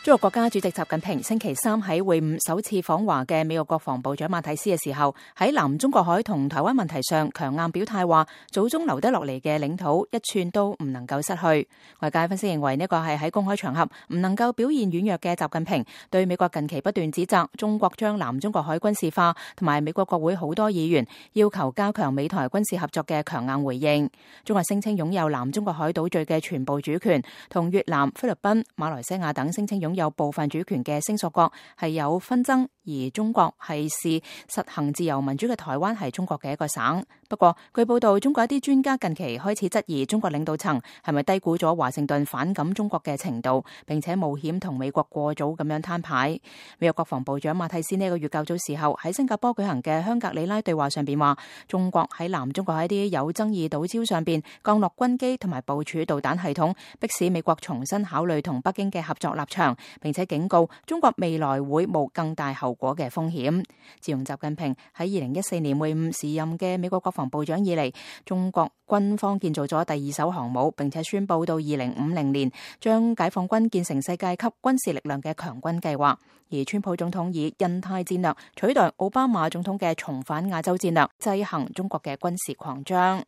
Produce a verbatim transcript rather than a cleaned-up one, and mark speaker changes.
Speaker 1: 中國國家主席習近平星期三喺會晤首次訪華嘅美國國防部長馬蒂斯嘅時候，喺南中國海同台灣問題上強硬表態，話祖宗留低落嚟嘅領土一寸都唔能夠失去。外界分析認為呢個係喺公開場合唔能夠表現軟弱嘅習近平對美國近期不斷指責中國將南中國海軍事化，同埋美國國會好多議員要求加強美台軍事合作嘅強硬回應。中國聲稱擁有南中國海島嶼嘅全部主權，同越南、菲律賓、馬來西亞等聲稱擁有部分主權嘅聲索國係有紛爭，而中國係視實行自由民主嘅台灣係中國嘅一個省。不過據報道，中國一啲專家近期開始質疑中國領導層係咪低估咗華盛頓反感中國嘅程度，並且冒險同美國過早咁樣攤牌。美國國防部長馬蒂斯呢個月較早時候喺新加坡舉行嘅香格里拉對話上邊話，中國喺南中國喺啲有爭議島礁上邊降落軍機同埋部署導彈系統，迫使美國重新考慮同北京嘅合作立場，並且警告中國未來會冒更大後果嘅風險。自從習近平喺二零一四年會晤時任嘅美國國防部長以嚟，中國軍方建造咗第二艘航母，並且宣布到二零五零年將解放軍建成世界級軍事力量嘅強軍計劃。而川普總統以印太戰略取代奧巴馬總統嘅重返亞洲戰略，制衡中國嘅軍事擴張。